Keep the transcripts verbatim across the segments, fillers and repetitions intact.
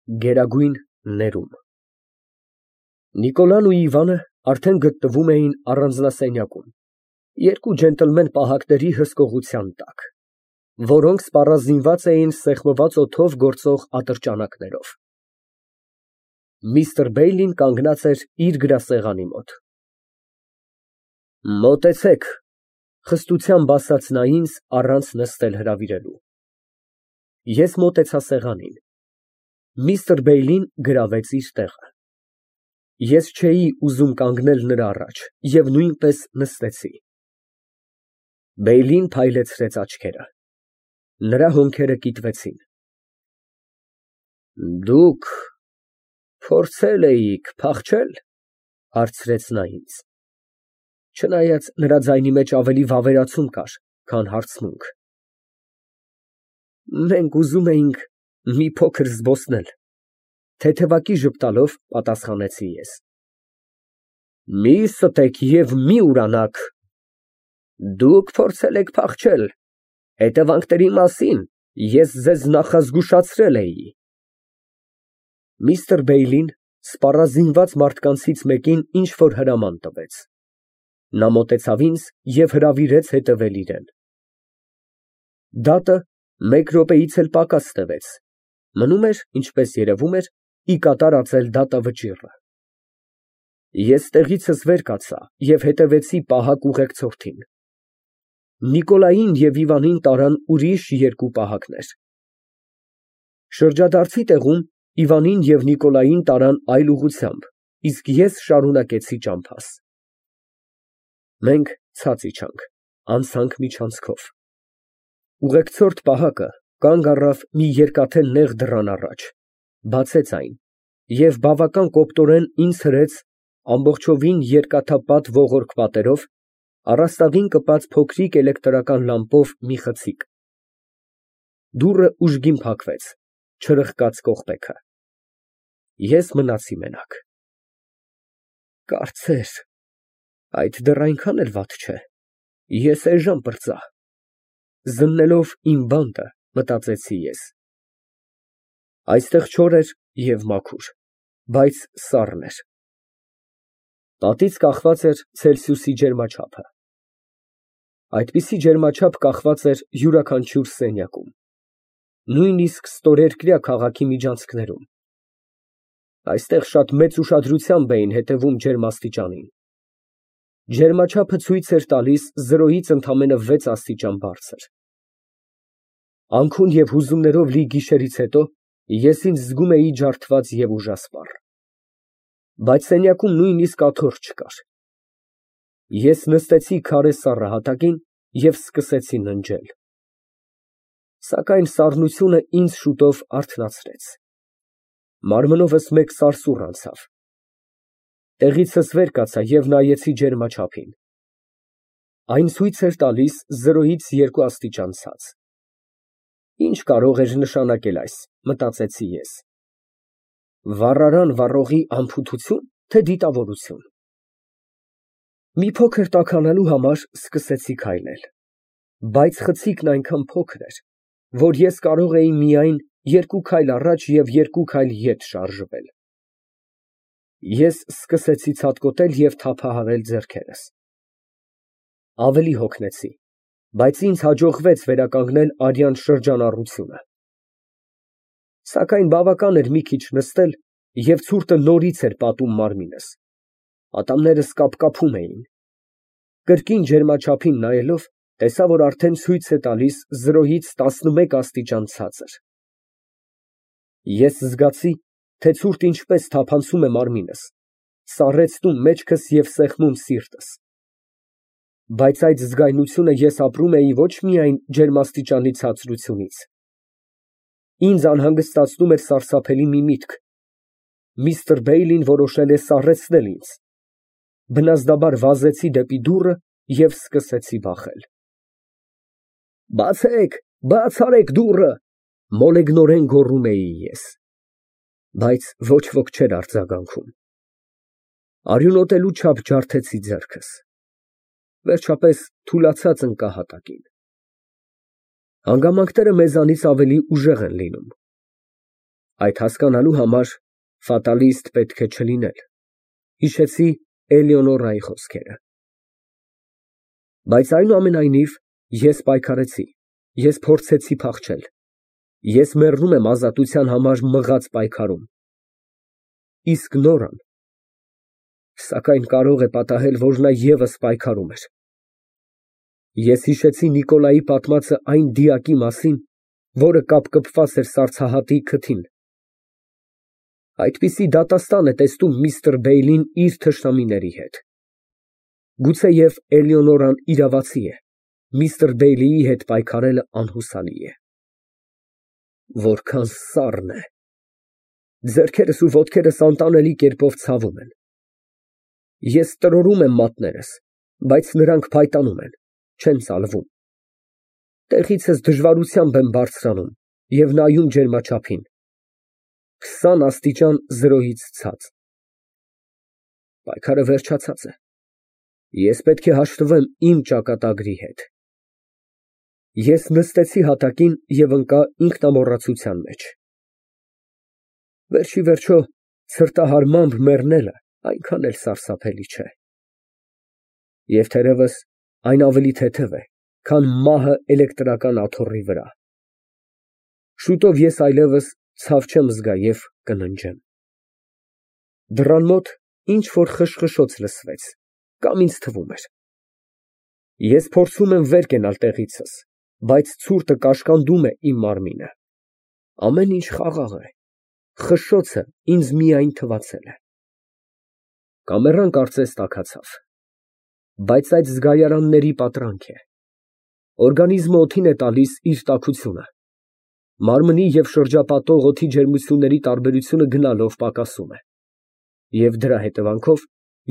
Գերագույն ներում Նիկոլան ու Իվանը արդեն գտնվում էին առանձնասենյակում, երկու ջենտլմեն պահակների հսկողության տակ, որոնք սպառազինված էին սեղմված օդով գործող ատրճանակներով։ Միստր Բեյլին կանգնած էր իր գրասեղանի մոտ։ Մոտեցեք, խստությամբ ասաց նա ինձ, առանց նստել հրավիրելու։ Ես մոտեցա սեղանին։ Միստր Բեյլին գրավեց իր տեղը։ Ես չէի ուզում կանգնել նրա առաջ և նույնպես նստեցի։ Բեյլին փայլեցրեց աչքերը։ Նրա հոնքերը կիտվեցին։ Դուք փորձել էիք փախչե՞լ, հարցրեց նա ինձ, չնայած նրա ձայնի մեջ ավելի վավերացում կար, քան հարցմունք։ Մենք ուզում էինք մի փոքր զբոսնել, թեթևակի ժպտալով պատասխանեցի ես։ Մի ստեք և մի ուրանաք։ Դուք փորձել եք փախչել, հետևանքների մասին ես ձեզ նախազգուշացրել էի։ Միստր Բեյլին սպառազինված մարդկանցից մեկին ինչ֊որ հրաման տվեց։ Նա մոտեցավ ինձ և հրավիրեց հետևել իրան։ Դատը մեկ րոպեից էլ պակաս տևեց, մնում էր, ինչպես երևում էր, ի կատար ածել դատավճիռը։ Ես տեղիցս վեր կացա և հետևեցի պահակ ուղեկցորդին։ Նիկոլային և Իվանին տարան ուրիշ երկու պահակներ։ Շրջադարձի տեղում Իվանին և Նիկոլային տարան այլ ուղղությամբ, իսկ ես շարունակեցի ճամփաս։ Մենք ցած իջանք, անցանք միջանցքով։ Ուղեկցորդ պահակը կանգ առավ մի երկաթե նեղ դռան առաջ, բացեց այն և բավական կոպտորեն ինձ հրեց ամբողջովին երկաթապատ ողորկ պատերով, առաստաղին կպած փոքրիկ էլեկտրական լամպով մի խցիկ։ Դուռը ուժգին փակվեց, չրխկաց կողպեքը։ Ես մնացի մենակ։ Կարծես, այդ դեռ այնքան էլ վատ չէ, ես էժան պրծա։ Զննելով իմ բանտը, մտածեցի ես։ Այստեղ չոր էր և մաքուր, բայց սառն էր։ Պատից կախված էր Ցելսիուսի ջերմաչափը։ Այդպիսի ջերմաչափ կախված էր յուրաքանչյուր սենյակում, նույնիսկ ստորերկրյա քաղաքի միջանցքներում։ Այստեղ շատ մեծ ուշադրությամբ էին հետևում ջերմաստիճանին։ Ջերմաչափը ցույց էր տալիս զրոյից ընդամենը վեց աստիճան բարձր։ Անքուն և հուզումներով լի գիշերից հետո ես ինձ զգում էի ջարդված և ուժասպառ։ Բայց սենյակում նույնիսկ աթոռ չկար։ Ես նստեցի քարե սառը հատակին և սկսեցի ննջել։ Սակայն սառնությունը ինձ շուտով արթնացրեց։ Մարմնովս մեկ սարսուռ անցավ։ Տեղիցս վեր կացա և նայեցի ջերմաչափին։ Այն ցույց էր տալիս զրոյից երկու աստիճան ցած։ Ի՞նչ կարող էր նշանակել այս, մտածեցի ես։ Վառարան վառողի անփութությո՞ւն, թե դիտավորություն։ Մի փոքր տաքանալու համար սկսեցի քայլել, բայց խցիկն այնքան փոքր էր, որ ես կարող էի միայն երկու քայլ առաջ և երկու քայլ ետ շարժվել։ Ես սկսեցի ցատկոտել և թափահարել ձեռքերս։ Ավելի հոգնեցի, բայց ինձ հաջողվեց վերականգնել արյան շրջանառությունը։ Սակայն բավական էր մի քիչ նստել, և ցուրտը նորից էր պատում մարմինս, ատամներս կապկապում էին։ Կրկին ջերմաչափին նայելով, տեսա, որ արդեն ցույց է տալիս զրոյից տասնմեկ աստիճան ցածր։ Ես զգացի, թե ցուրտը ինչպես թափանցում է մարմինս, սառեցնում մեջքս և սեղմում սիրտս։ Բայց այդ զգայունությունը ես ապրում էի ոչ միայն ջերմաստիճանի ցածրությունից։ Ինձ անհանգստացնում էր սարսափելի մի միտք. միստր Բեյլին որոշել է սառեցնել ինձ։ Բնազդաբար վազեցի դեպի դուռը և սկսեցի բախել։ Բացեք, բաց արեք դուռը, մոլեգնորեն գոռում էի ես։ Բայց ոչ ոք չէր արձագանքում։ Արյունոտելու չափ ջարդեցի ձեռքս։ Վերջապես թուլացած ընկա հատակին։ Հանգամանքները մեզանից ավելի ուժեղ են լինում։ Այդ հասկանալու համար ֆատալիստ պետք է չլինել, հիշեցի Էլեոնորայի խոսքերը։ Բայց այնուամենայնիվ ես պայքարեցի, ես փորձեցի փախչել, ես մեռնում եմ ազատության համար մղած պայքարում։ Իսկ Նորան, սակայն կարող է պատահել, որ նա ևս պայքարում էր։ Ես հիշեցի Նիկոլայի պատմածը այն դիակի մասին, որը կապկպված էր սառցահատի քթին։ Այդպիսի դատաստան է տեսնում միստր Բեյլին իր թշնամիների հետ։ Գուցեև Էլեոնորան իրավացի է, միստր Բեյլիի հետ պայքարելը անհուսալի է։ Որքան սառն է։ Ձեռքերս ու ոտքերս անտանելի կերպով ցավում են։ Ես տրորում եմ մատներս, բայց նրանք փայտանում են, չեն ծալվում։ Տեղիցս դժվարությամբ եմ բարձրանում և նայում ջերմաչափին։ Քսան աստիճան զրոյից ցած։ Պայքարը վերջացած է։ Ես պետք է հաշտվեմ իմ ճակատագրի հետ։ Ես նստեցի հատակին և ընկա ինքնամոռացության մեջ։ Վերջիվերջո, ցրտահարմամբ մեռնելը այնքան էլ սարսափելի չէ։ Եվ թերևս այն ավելի թեթև է, քան մահը էլեկտրական աթոռի վրա։ Շուտով ես այլևս ցավ չեմ զգա և կննջեմ։ Դռան մոտ ինչ֊որ խշխշոց լսվեց, կամ ինձ թվում էր։ Ես փորձում եմ վեր կենալ տեղիցս, բայց ցուրտը կաշկանդում է իմ մարմինը։ Ամեն ինչ խաղաղ է, խշշոցը ինձ միայն թվացել է։ Կամերան կարծես տաքացավ։ Բայց այդ զգայարանների պատրանք է։ Օրգանիզմը օդին է տալիս իր տաքությունը։ Մարմնի և շրջապատող օդի ջերմությունների տարբերությունը գնալով պակասում է։ Եվ դրա հետևանքով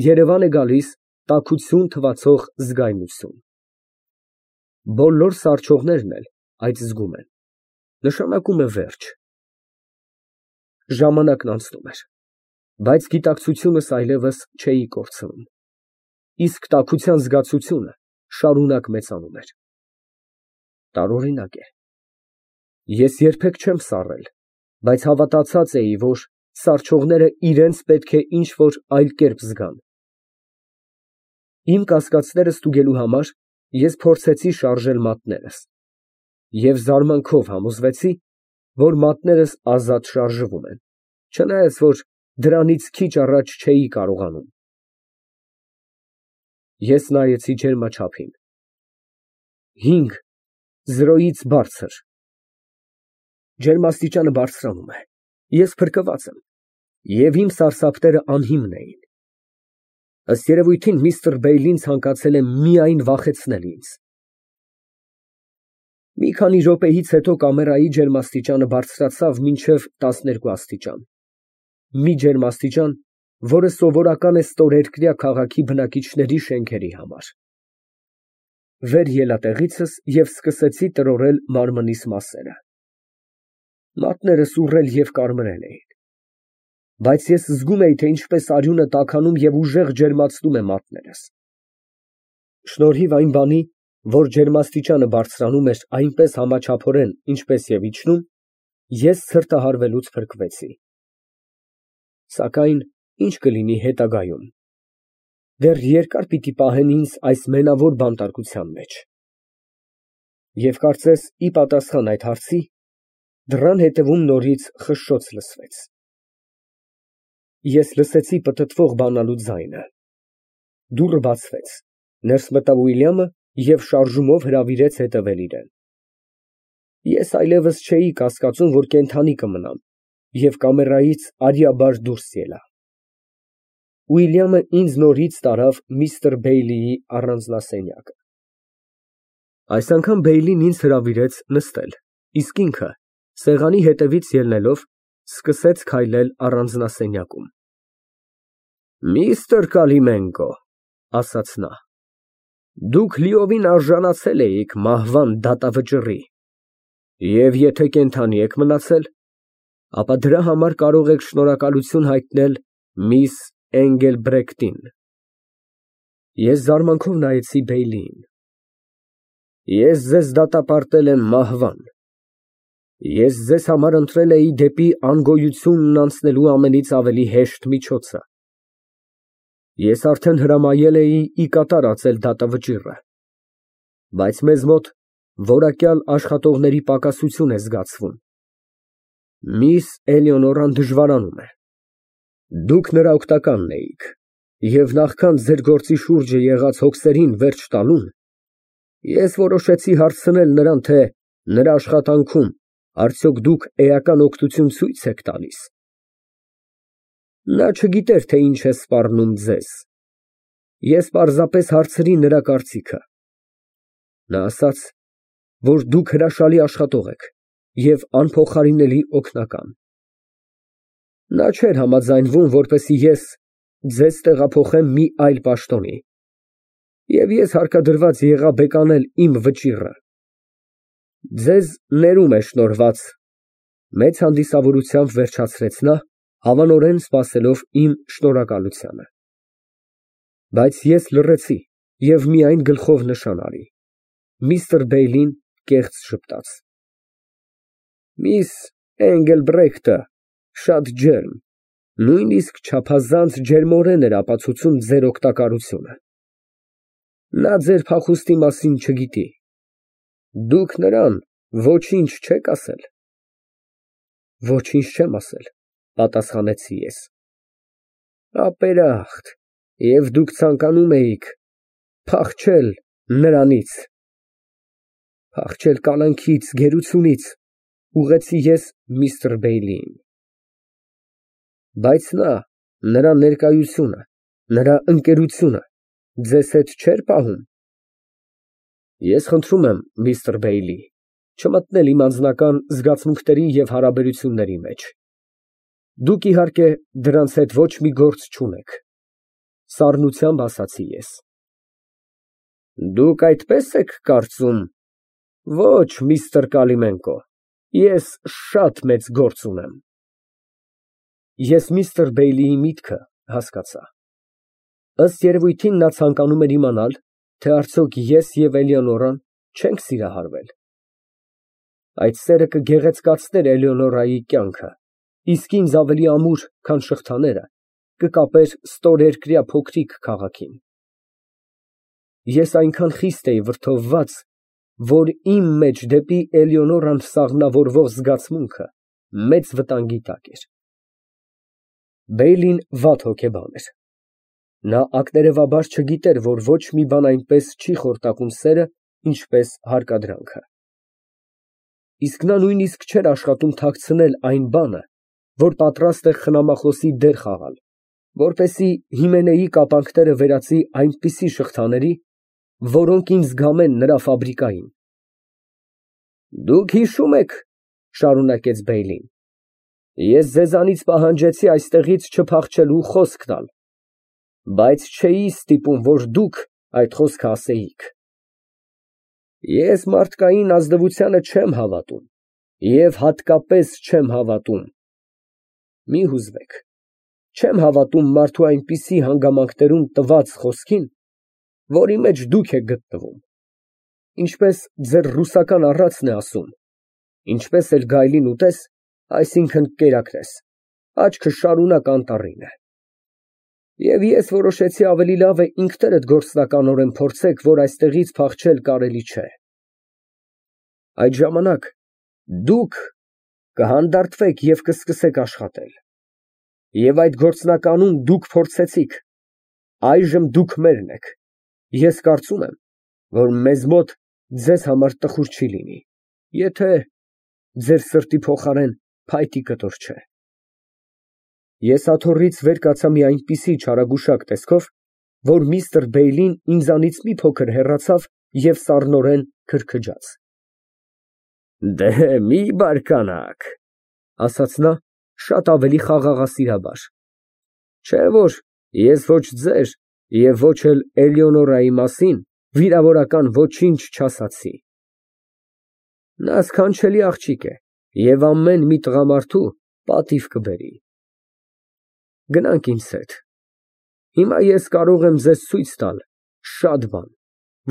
երևան է գալիս տաքություն թվացող զգայունություն։ Բոլոր սառչողներն էլ այդ զգում են։ Նշանակում է վերջ։ Ժամանակն անցնում էր, բայց գիտակցությունս այլևս չէի կորցնում, իսկ տաքության զգացությունը շարունակ մեծանում էր։ Տարօրինակ է։ Ես երբեք չեմ սառել, բայց հավատացած էի, որ սառչողները իրենց պետք է ինչ֊որ այլ կերպ զգան։ Իմ կասկածները ստուգելու համար ես փորձեցի շարժել մատներս և զարմանքով համոզվեցի, որ մատներս ազատ շարժվում են, չնայած որ դրանից քիչ առաջ չէի կարողանում։ Ես նայեցի ջերմաչափին։ Հինգ, զրոյից բարձր։ Ջերմաստիճանը բարձրանում է, ես փրկված եմ, և իմ սարսափները անհիմն էին։ Ըստ երևույթին միստր Բեյլին ցանկացել է միայն վախեցնել ինձ։ Մի քանի րոպեից հետո կամերայի ջերմաստիճանը բարձրացավ մինչև տասներկու աստիճան, մի ջերմաստիճան, որը սովորական է ստորերկրյա քաղաքի բնակիչների շենքերի համար։ Վեր ելա տեղիցս և սկսեցի տրորել մարմնիս մասերը։ Մատներս ուռել և կարմրել էին։ Բայց ես զգում էի, թե ինչպես արյունը տաքանում և ուժեղ ջերմացնում է մատներս։ Շնորհիվ այն բանի, որ ջերմաստիճանը բարձրանում էր այնպես համաչափորեն, ինչպես և իջնում, ես ցրտահարվելուց փրկվեցի։ Սակայն ի՞նչ կլինի հետագայում։ Դեռ երկար պիտի պահեն ինձ այս մենավոր բանտարկության մեջ։ Եվ կարծես ի պատասխան այդ հարցի, դռան հետևում նորից խշշոց լսվեց։ Ես լսեցի պտտվող բանալու ձայնը։ Դուռը բացվեց, ներս մտավ Ուիլյամը և շարժումով հրավիրեց հետևել իրան։ Ես այլևս չէի կասկածում, որ կենդանի կմնամ, և կամերայից արիաբար դուրս ելա։ Ուիլյամը ինձ նորից տարավ միստր Բեյլիի առանձնասենյակը։ Այս անգամ Բեյլին ինձ հրավիրեց նստել, իսկ ինքը, սեղանի հետևից ելնելով, սկսեց քայլել առանձնասենյակում։ Միստր Կալիմենկո, ասաց նա, դուք լիովին արժանացել էիք մահվան դատավճռի, և եթե կենդանի եք մնացել, ապա դրա համար կարող եք շնորհակալություն հայտնել միս Էնգելբրեկտին։ Ես զարմանքով նայեցի Բեյլիին։ Ես ձեզ դատապարտել եմ մահվան։ Ես ձեզ համար ընտրել էի դեպի անգոյությունն անցնելու ամենից ավելի հեշտ միջոցը։ Ես արդեն հրամայել էի ի կատար ածել դատավճիռը, բայց մեզ մոտ որակյալ աշխատողների պակասություն է զգացվում։ Միս Էլեոնորան դժվարանում է։ Դուք նրա օգնականն էիք, և նախքան ձեր գործի շուրջը եղած հոգսերին վերջ տալուն, ես որոշեցի հարցնել նրան, թե նրա աշխատանքում արդյոք դուք էական օգնություն ցույց եք տալիս։ Նա չգիտեր, թե ինչ է սպառնում ձեզ։ Ես պարզապես հարցրի նրա կարծիքը։ Նա ասաց, որ դուք հրաշալի աշխատող եք և անփոխարինելի օգնական։ Նա չէր համաձայնվում, որպեսզի ես ձեզ տեղափոխեմ մի այլ պաշտոնի, և ես հարկադրված եղա բեկանել իմ վճիռը։ Ձեզ ներում է շնորհված, մեծ հանդիսավորությամբ վերջացրեց նա, հավանորեն սպասելով իմ շնորհակալությանը։ Բայց ես լռեցի և միայն գլխով նշան արի։ Միստր Բեյլին կեղծ ժպտաց։ Միս Էնգելբրեխտը շատ ջերմ, նույնիսկ չափազանց ջերմորեն էր ապացուցում ձեր օգտակարությունը։ Նա ձեր փախուստի մասին չգիտի։ Դուք նրան ոչինչ չեք ասել։ Ոչինչ չեմ ասել, պատասխանեցի ես։ Ապերախտ, և դուք ցանկանում էիք փախչել նրանից։ Փախչել կալանքից, գերությունից, ուղղեցի ես միստր Բեյլիին։ Բայց նա, նրա ներկայությունը, նրա ընկերությունը ձեզ հետ չէր պահում։ Ես խնդրում եմ, միստր Բեյլի, չմտնել իմ անձնական զգացմունքների և հարաբերությունների մեջ։ Դուք, իհարկե, դրանց հետ ոչ մի գործ չունեք, սառնությամբ ասացի ես։ Դուք այդպես եք կարծում։ Ոչ, միստր Կալիմենկո, ես շատ մեծ գործ ունեմ։ Ես միստր Բեյլիի միտքը հասկացա։ Ըստ երևույթին, նա ցանկանում էր իմանալ, թե արդյոք ես և Էլեոնորան չենք սիրահարվել։ Այդ սերը կգեղեցկացներ Էլեոնորայի կյանքը, իսկ ինձ ավելի ամուր, քան շղթաները, կկապեր ստորերկրյա փոքրիկ քաղաքին։ Ես այնքան խիստ էի վրդովված, որ իմ մեջ դեպի Էլեոնորան սաղմնավորվող զգացմունքը մեծ վտանգի տակ էր։ Բեյլին վատ հոգեբան էր։ Նա ակներևաբար չգիտեր, որ ոչ մի բան այնպես չի խորտակում սերը, ինչպես հարկադրանքը։ Իսկ նա նույնիսկ չէր աշխատում թաքցնել այն բանը, որ պատրաստ է խնամախոսի դեր խաղալ, որպեսզի Հիմենեի կապանքները վերածի այնպիսի շղթաների, որոնք ինձ զգամեն նրա ֆաբրիկային։ Դուք հիշում եք, շարունակեց Բեյլին, ես ձեզանից պահանջեցի այստեղից չփախչելու խոսք տալ, բայց չէի ստիպում, որ դուք այդ խոսքը ասեիք։ Ես մարդկային ազնվությանը չեմ հավատում և հատկապես չեմ հավատում։ Մի հուզվեք, չեմ հավատում մարդու այնպիսի հանգամանքներում տված խոսքին, որի մեջ դուք եք գտնվում, ինչպես ձեր ռուսական առածն է ասում, ինչպես էլ գայլին ուտես, այսինքն կերակրես, աչքը շարունակ անտառին է։ Եվ ես որոշեցի ավելի լավ է ինքներդ գործնականորեն փորձեք, որ այստեղից փախչել կարելի չէ։ Այդ ժամանակ դուք կհանդարտվեք և կսկսեք աշխատել։ Եվ այդ գործնականում դուք փորձեցիք, այժմ դուք մերն եք։ Ես կարծում եմ, որ մեզ մոտ ձեզ համար տխուր չի լինի, եթե ձեր սրտի փոխարեն փայտի կտոր չէ։ Ես աթոռից վեր կացա մի այնպիսի չարագուշակ տեսքով, որ միստր Բեյլին ինձանից մի փոքր հեռացավ և սառնորեն քրքջաց։ Դե մի բարկանաք, ասաց նա շատ ավելի խաղաղասիրաբար, չէ՞ որ ես ոչ ձեր և ոչ էլ Էլեոնորայի մասին վիրավորական ոչինչ չասացի։ Նա սքանչելի աղջիկ է և ամեն մի տղամարդու պատիվ կբերի։ Գնանք ինձ հետ։ Հիմա ես կարող եմ ձեզ ցույց տալ շատ բան,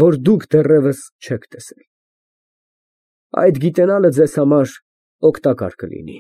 որ դուք դեռևս չեք տեսել։ Այդ գիտենալը ձեզ համար օգտակար կլինի։